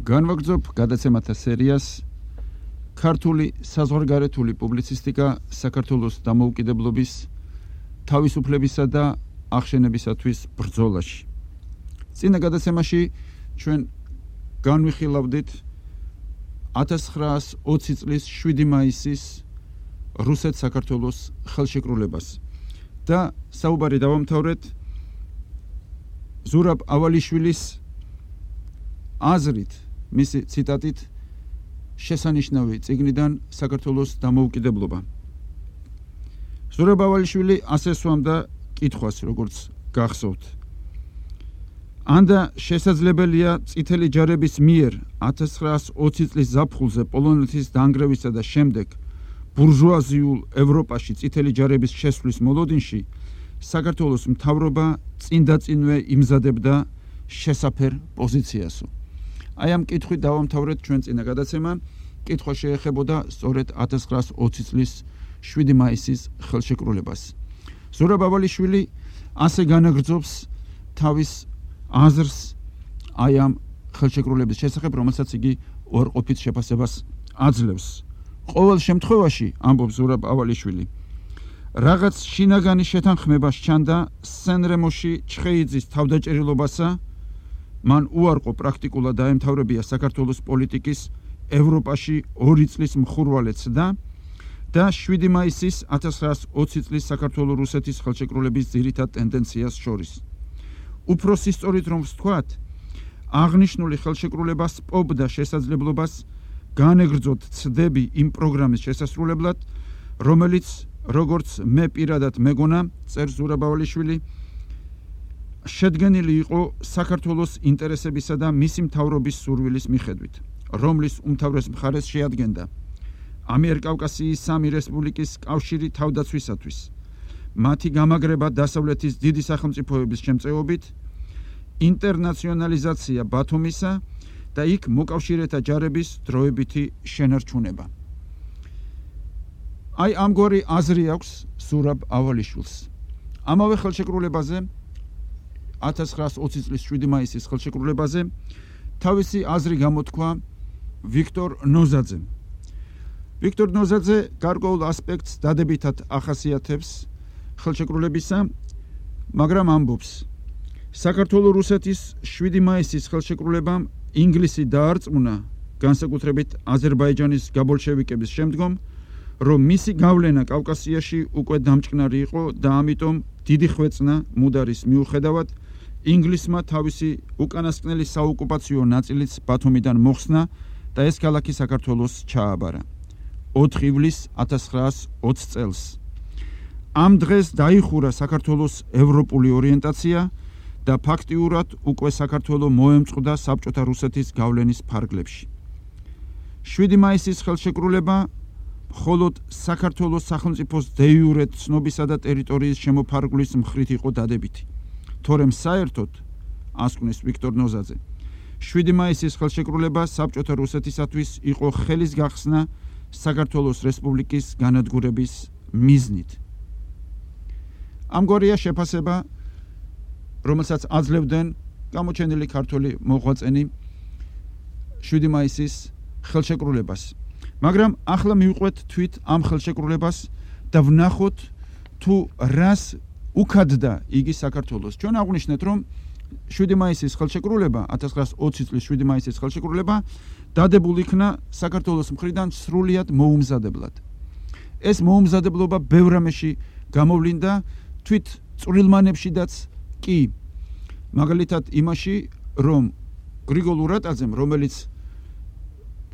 განვაგრძობ გადაცემათა სერიას ქართული საზღვარგარეთული პუბლიცისტიკა საქართველოს დამოუკიდებლობის, თავისუფლებისა და აღშენებისათვის ბრძოლაში. წინა გადაცემაში ჩვენ განვიხილავდით 1920 წლის 7 მაისის რუსეთ-საქართველოს ხელშეკრულებას და საუბარი დავამთავრეთ ზურაბ ავალიშვილის აზრით, მისი ციტატით შესანიშნავი წიგნიდან საქართველოს დამოუკიდებლობა. ზურაბ ავალიშვილი ასე სვამდა კითხვას, როგორც გახსოვთ. ანდა შესაძლებელია წითელი ჯარების მიერ 1920 წლის ზაფხულზე პოლონეთის დანგრევისა და შემდეგ ბურჟუაზიულ ევროპაში წითელი ჯარების შესვლის მოლოდინში საქართველოს მთავრობა წინდაწინვე იმზადებდა შესაფერ პოზიციასო. აი ამ კითხვით დავამთავრეთ ჩვენ წინა გადაცემა. კითხვა შეეხებოდა სწორედ 1920 წლის 7 მაისის ხელშეკრულებას. ზურაბ ავალიშვილი ასე განაგრძობს თავის აზრს აი ამ ხელშეკრულების შესახებ, რომელსაც იგი უარყოფით შეფასებას აძლევს. ყოველ შემთხვევაში, ამბობს ზურაბ ავალიშვილი, რაღაც შინაგანი შეთანხმება სჩანდა სენრემოში ჩხეიძის თავდაჭერილობასა, მან უარყო პრაქტიკულად დაემთავრებია საქართველოს პოლიტიკის ევროპაში 2 წლის მხურვალე ცდა და 7 მაისის 1920 წლის საქართველო-რუსეთის ხელშეკრულების ძირითად ტენდენციას შორის. უფრო სისწორით რომ ვთქვათ, აღნიშნული ხელშეკრულება სპობდა შესაძლებლობას განეგრძოთ ცდები იმ პროგრამის შესასრულებლად, რომელიც, როგორც მე პირადად მეგონა, წერს ზურაბ ავალიშვილი, შედგენილი იყო საქართველოს ინტერესებისა და მისი მთავრობის სურვილის მიხედვით, რომლის უმთავრეს მხარეს შეადგენდა ამიერკავკასიის 3 რესპუბლიკის კავშირი თავდაცვისათვის, მათი გამაგრება დასავლეთის დიდი სახელმწიფოების შემწეობით, ინტერნაციონალიზაცია ბათუმისა და იქ მოკავშირეთა ჯარების დროებითი შენარჩუნება. აი ამგვარი აზრი აქვს ზურაბ ავალიშვილს. ამავე ხელშეკრულებაზე 1920 წლის 7 მაისის ხელშეკრულებაზე თავისი აზრი გამოთქვა ვიქტორ ნოზაძემ. ვიქტორ ნოზაძე გარკვეულ ასპექტს დადებითად ახასიათებს ხელშეკრულებისა, მაგრამ ამბობს, საქართველო-რუსეთის 7 მაისის ხელშეკრულებამ ინგლისი დაარწმუნა, განსაკუთრებით აზერბაიჯანის გაბოლშევიკების შემდგომ, რომ მისი გავლენა კავკასიაში უკვე დამჭკნარი იყო და ამიტომ დიდი ხვეწნა მუდარის მიუხედავად ინგლისმა თავისი უკანასკნელი საოკუპაციო ნაწილიც ბათუმიდან მოხსნა და ეს ქალაქი საქართველოს ჩააბარა 4 ივლისს 1920 წელს. ამ დღეს დაიხურა საქართველოს ევროპული ორიენტაცია და ფაქტიურად უკვე საქართველო მოემწყდა საბჭოთა რუსეთის გავლენის ფარგლებში. 7 მაისის ხელშეკრულება მხოლოდ საქართველოს სახელმწიფოს დე-იურე ცნობისა და ტერიტორიის შემოფარგლის მხრით იყო დადებითი. თორემ საერთოდ, ასკვნეს ვიქტორ ნოზაძე, 7 მაისის ხელშეკრულება საბჭოთა რუსეთისათვის იყო ხელის გახსნა საქართველოს რესპუბლიკის განადგურების მიზნით. ამგვარია შეფასება, რომელსაც აძლევდნენ გამოჩენილი ქართველი მოღვაწენი 7 მაისის ხელშეკრულებას. მაგრამ ახლა მივყვეთ თვით ამ ხელშეკრულებას და ვნახოთ თუ რას უქადდა იგი საქართველოს. ჩვენ აღვნიშნეთ, რომ 7 მაისის ხელშეკრულება, 1920 წლის 7 მაისის ხელშეკრულება დადებულ იქნა საქართველოს მხრიდან სრულიად მოუმზადებლად. ეს მოუმზადებლობა ბევრ რამეში გამოვლინდა, თვით წვრილმანებშიდაც კი. მაგალითად იმაში, რომ გრიგოლ ურატაძემ, რომელიც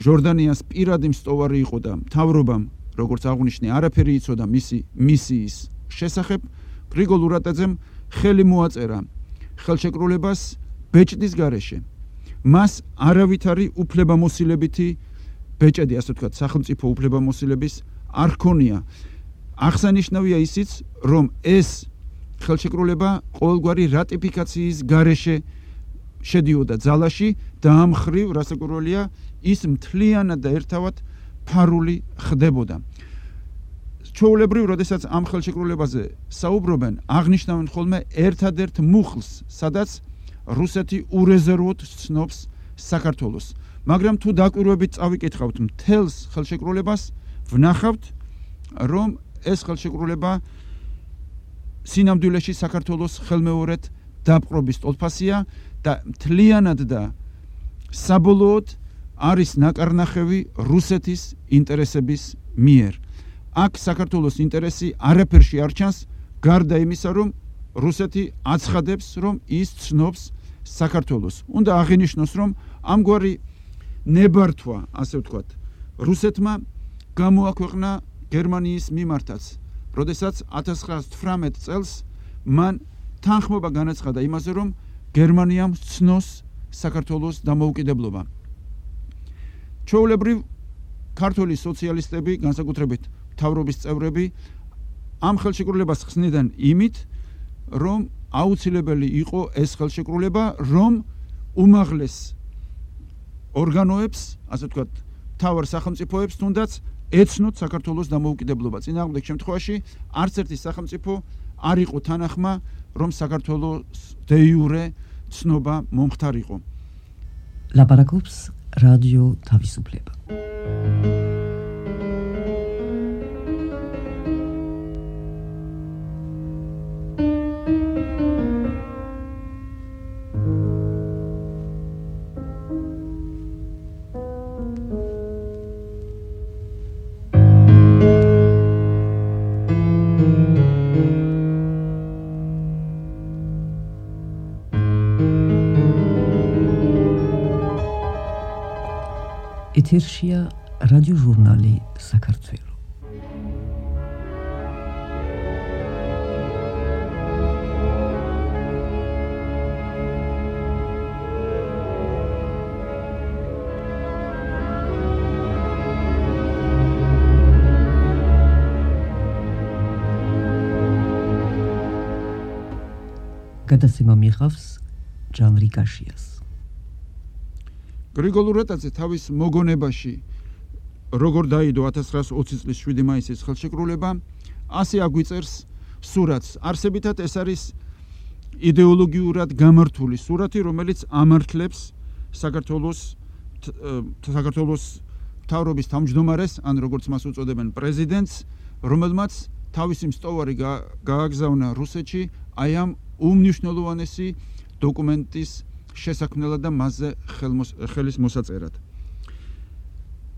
ჟორდანიას პირადი მსტოვარი იყო და მთავრობამ, როგორც აღვნიშნე, არაფერი იცოდა მისი მისიის შესახებ, გრიგოლ ურატაძემ ხელი მოაწერა ხელშეკრულებას ბეჭდის გარეშე. მას არავითარი უფლებამოსილებითი ბეჭედი, ასე ვთქვათ, სახელმწიფო უფლებამოსილების არ ჰქონია. აღსანიშნავია ისიც, რომ ეს ხელშეკრულება ყოველგვარი რატიფიკაციის გარეშე შედიოდა ძალაში და ამ მხრივ რასაკვირველია ის მთლიანად და ერთავად ფარული ხდებოდა. ჩვეულებრივ, როდესაც ამ ხელშეკრულებაზე საუბრობენ, აღნიშნავენ ხოლმე ერთადერთ მუხლს, სადაც რუსეთი ურეზერვოდ ცნობს საქართველოს. მაგრამ თუ დაკვირვებით წავიკითხავთ მთელს ხელშეკრულებას, ვნახავთ, რომ ეს ხელშეკრულება სინამდვილეში საქართველოს ხელმეორედ დაპყრობის ტოლფასია და მთლიანად და საბოლოოდ არის ნაკარნახევი რუსეთის ინტერესების მიერ. აქ საქართველოს ინტერესი არაფერში არ ჩანს, გარდა იმისა, რომ რუსეთი აცხადებს, რომ ის ცნობს საქართველოს. უნდა აღინიშნოს, რომ ამგვარი ნებართვა, ასე ვთქვათ, რუსეთმა გამოაქვეყნა გერმანიის მიმართაც, როდესაც 1918 წელს მან თანხმობა განაცხადა იმაზე, რომ გერმანიამ ცნოს საქართველოს დამოუკიდებლობა. ჩვეულებრივ ქართული სოციალისტები, განსაკუთრებით მთავრობის წევრები, ამ ხელშეკრულებას ხსნიდნენ იმით, რომ აუცილებელი იყო ეს ხელშეკრულება, რომ უმაღლეს ორგანოებს, ასე ვთქვათ, მთავარ სახელმწიფოებს თუნდაც ეცნოთ საქართველოს დამოუკიდებლობა. წინააღმდეგ შემთხვევაში არც ერთი სახელმწიფო არ იყო თანახმა, რომ საქართველოს დე იურე ცნობა მომხდარიყო. ლაპარაკობს რადიო თავისუფლება. ეთერშია რადიო ჟურნალი საქართველო. გადაცემა მიიღავს ჟანრი კაშიას. გრიგოლ რატაძე თავის მოგონებაში, როგორ დაიდო 1920 წლის 7 მაისის ხელშეკრულება, ასე აგვიწერს სურათს. არსებითად ეს არის იდეოლოგიურად გამართული სურათი, რომელიც ამართლებს საქართველოს მთავრობის თავმჯდომარეს, ან როგორც მას უწოდებენ პრეზიდენტს, რომელმაც თავისი მსტოვარი გააგზავნა რუსეთში აი ამ უმნიშვნელოვანესი დოკუმენტის შესაქმნელად და მასზე ხელის მოსაწერად.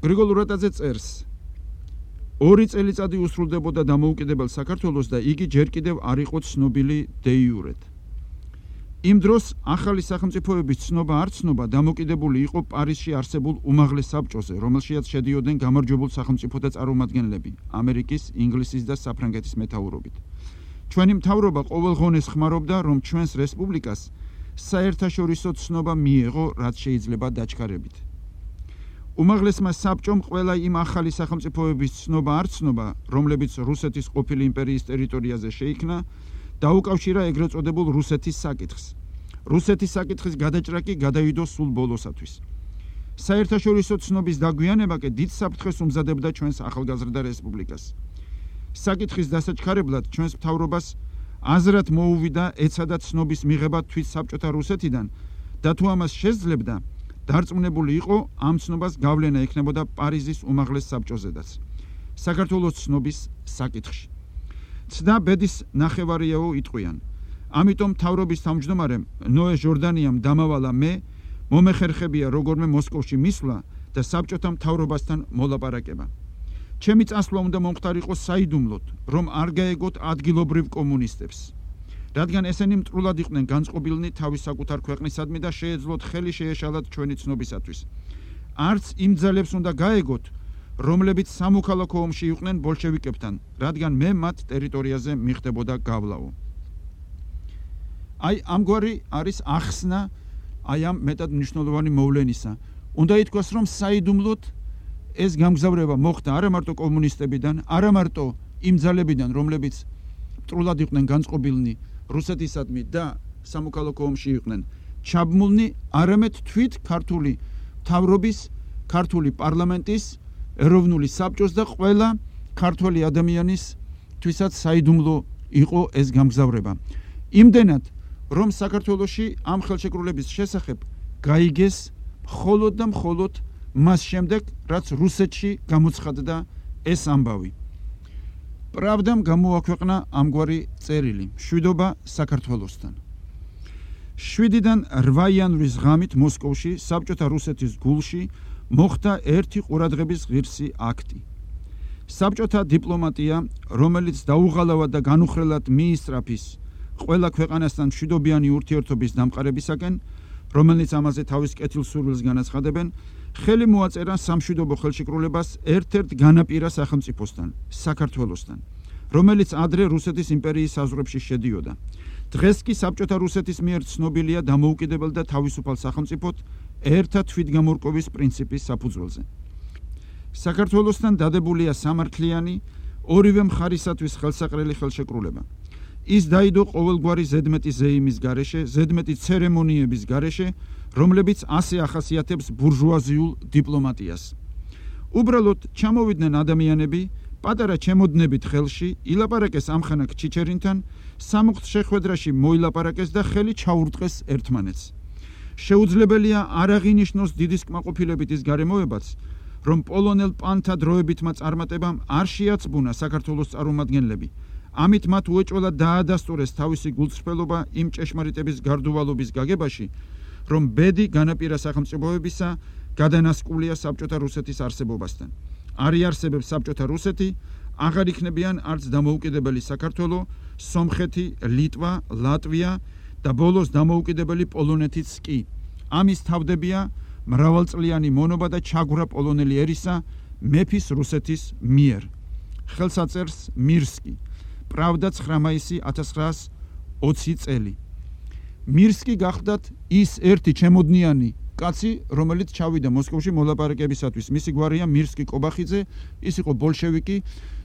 გრიგოლ რატაძე წერს: 2 წელიწადი უსრულდებოდა დამოუკიდებელ საქართველოს და იგი ჯერ კიდევ არ იყო ცნობილი დე იურედ. იმ დროს ახალი სახელმწიფოების ცნობა არ ცნობა დამოკიდებული იყო პარიზში არსებულ უმაღლეს საბჭოზე, რომელშიაც შედიოდნენ გამარჯვებულ სახელმწიფოთა წარმომადგენლები ამერიკის, ინგლისის და საფრანგეთის მეთაურობით. ჩვენი მთავრობა ყოველღონეს ხმარობდა, რომ ჩვენს რესპუბლიკას საერთაშორისო ცნობა მიეღო, რაც შეიძლება დაჩქარებით. უმაღლესმა საბჭომ ყველა იმ ახალი სახელმწიფოების ცნობა არ ცნობა, რომლებიც რუსეთის ყოფილი იმპერიის ტერიტორიაზე შეიქმნა, დაუკავშირა ეგრეთ წოდებულ რუსეთის საკითხს. რუსეთის საკითხის გადაჭრა კი გადაიდო სულ ბოლოსათვის. საერთაშორისო ცნობის დაგვიანება კი დიდ საფრთხეს უმზადებდა ჩვენს ახალგაზრდა რესპუბლიკას. საკითხის დასაჩქარებლად ჩვენს მთავრობას აზრად მოუვიდა ეცადა ცნობის მიღება თვით საბჭოთა რუსეთიდან და თუ ამას შესძლებდა, დარწმუნებული იყო ამ ცნობას გავლენა ექნებოდა პარიზის უმაღლეს საბჭოზედაც საქართველოს ცნობის საკითხში. ცდა ბედის ნახევარიაო იტყვიან. ამიტომ მთავრობის თავმჯდომარემ ნოე ჟორდანიამ დამავალა მე მომეხერხებია როგორმე მოსკოვში მისვლა და საბჭოთა მთავრობასთან მოლაპარაკება. ჩემი წასვლა უნდა მომხდარიყო საიდუმლოდ, რომ არ გაეგოთ ადგილობრივ კომუნისტებს, რადგან ესენი მტრულად იყვნენ განწყობილნი თავის საკუთარ ქვეყნისადმი და შეეძლოთ ხელი შეეშალათ ჩვენი ცნობისათვის. არც იმ ძალებს უნდა გაეგოთ, რომლებიც სამოქალაქო ომში იყვნენ ბოლშევიკებთან, რადგან მე მათ ტერიტორიაზე მიხდებოდა გავლაო. აი ამგვარი არის ახსნა აი ამ მეტად მნიშვნელოვანი მოვლენისა. უნდა ითქვას, რომ საიდუმლოდ ეს გამგზავრება მოხდა არა მარტო კომუნისტებიდან, არა მარტო იმ ძალებიდან, რომლებიც მტრულად იყვნენ განწყობილნი რუსეთისადმი და სამოქალაქო ომში იყვნენ ჩაბმულნი, არამედ თვით ქართული მთავრობის, ქართული პარლამენტის, ეროვნული საბჭოს და ყველა ქართველი ადამიანის თვისაც საიდუმლო იყო ეს გამგზავრება. იმდენად, რომ საქართველოში ამ ხელშეკრულების შესახებ გაიგეს მხოლოდ და მხოლოდ მას შემდეგ, რაც რუსეთში გამოცხადდა ეს ამბავი. Pravdam გამოაქვეყნა ამგვარი წერილი: მშვიდობა საქართველოსთან. 7-დან 8 იანვრის ღამით მოსკოვში, საბჭოთა რუსეთის გულში მოხდა ერთი ყურადღების ღირსი აქტი. საბჭოთა დიპლომატია, რომელიც დაუღალავად და განუხრელად მიისწრაფის ყველა ქვეყანასთან მშვიდობიანი ურთიერთობის დამყარებისაკენ, რომელიც ამაზე თავის კეთილსურვილს განაცხადებენ, ხელი მოაწერა სამშვიდობო ხელშეკრულებას ერთ-ერთ განაპირა სახელმწიფოსთან, საქართველოსთან, რომელიც ადრე რუსეთის იმპერიის საზღვრებში შედიოდა. დღეს კი საბჭოთა რუსეთის მიერ ცნობილია დამოუკიდებელ და თავისუფალ სახელმწიფოდ ერთა თვითგამორკვევის პრინციპის საფუძველზე. საქართველოსთან დადებულია სამართლიანი, ორივე მხარისათვის ხელსაყრელი ხელშეკრულება. ის დაიდო ყოველგვარი ზედმეტი ზეიმის გარეშე, ზედმეტი ცერემონიების გარეშე, რომლებიც ასე ახასიათებს ბურჟუაზიულ დიპლომატიას. უბრალოდ ჩამოვიდნენ ადამიანები, პატარა ჩემოდნებით ხელში, ილაპარაკეს ამხანაგ ჩიჩერინთან, სამუხტ შეხვედრაში მოილაპარაკეს და ხელი ჩაურტყეს ერთმანეთს. შეუძლებელია არ აღინიშნოს დიდის კმაყოფილებით ის გარემოებაც, რომ პოლონელ პანთა დროებითმა წარმატებამ არ შეაცბუნა საქართველოს წარმომადგენლები. ამით მათ უეჭველად დაადასტურეს თავისი გულწრფელობა იმ ჭეშმარიტების გარდუვალობის გაგებაში, რომ ბედი განაპირა სახელმწიფოებისა გადანასკულია საბჭოთა რუსეთის არსებობასთან. არ იარსებებს საბჭოთა რუსეთი, აღარ იქნებიან არც დამოუკიდებელი საქართველო, სომხეთი, ლიტვა, ლატვია და ბოლოს დამოუკიდებელი პოლონეთიც კი. ამის თავდებია მრავალწლიანი მონობა და ჩაგვრა პოლონელი ერისა მეფის რუსეთის მიერ. ხელსაწერს მირსკი. Pravda 9 მაისი 1920 წელი. მირსკი გახდათ ის ერთი ჩემოდნიანი კაცი, რომელიც ჩავიდა მოსკოვში მოლაპარაკებისათვის. მისი გვარია მირსკი კობახიძე, ის იყო ბოლშევიკი.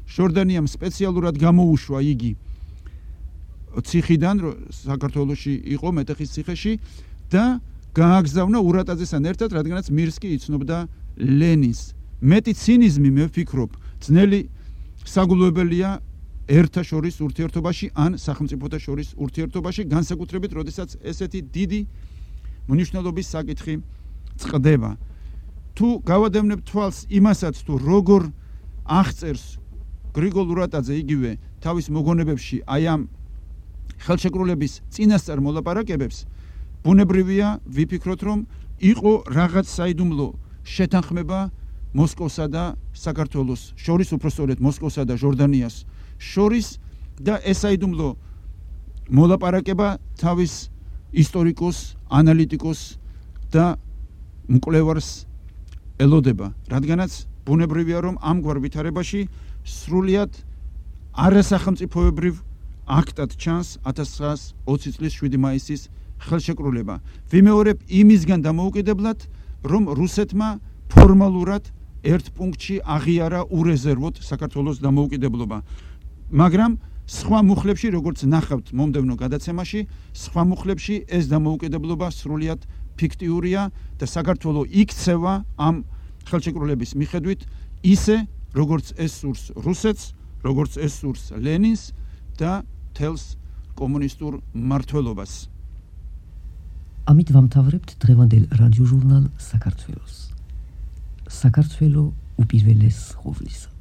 ჟორდანიამ სპეციალურად გამოუშვა იგი ციხიდან, საქართველოში იყო მეტეხის ციხეში და გააგზავნა ურატაძესთან ერთად, რადგანაც მირსკი იცნობდა ლენინს. მეტი ცინიზმი, მე ვფიქრობ, ძნელი საგულვებელია ერთა შორის ურთიერთობაში ან სახელმწიფოთა შორის ურთიერთობაში, განსაკუთრებით, როდესაც ესეთი დიდი მნიშვნელობის საკითხი წყდება. თუ გავადევნებ თვალს იმასაც, თუ როგორ აღწერს გრიგოლ ურატაძე იგივე თავის მოგონებებში აი ამ ხელშეკრულების წინასწარ მოლაპარაკებებს, ბუნებრივია ვიფიქროთ, რომ იყო რაღაც საიდუმლო შეთანხმება მოსკოვსა და საქართველოს შორის, უпростоრეთ მოსკოვსა და ჟორდანიას შორის და ეს საიდუმლო მოლაპარაკება თავის ისტორიკოს, ანალიტიკოს და მკვლევარს ელოდება, რადგანაც ბუნებრივია, რომ ამგვარ ვითარებაში სრულიად არასახელმწიფოებრივ აქტად ჩანს 1920 წლის 7 მაისის ხელშეკრულება. ვიმეორებ იმისგან დამოუკიდებლად, რომ რუსეთმა ფორმალურად ერთ პუნქტში აღიარა ურეზერვოდ საქართველოს დამოუკიდებლობა. მაგრამ სხვა მუხლებში, როგორც ნახავთ მომდევნო გადაცემაში, სხვა მუხლებში ეს დამოუკიდებლობა სრულიად ფიქტიურია და საქართველო იქცევა ამ ხელშეკრულების მიხედვით ისე, როგორც ეს სურს რუსეთს, როგორც ეს სურს ლენინს და თელს კომუნისტურ მმართველობას. ამით ვამთავრებთ დღევანდელ რადიოჟურნალ საქართველოს. საქართველო უპირველეს ხოვლისა.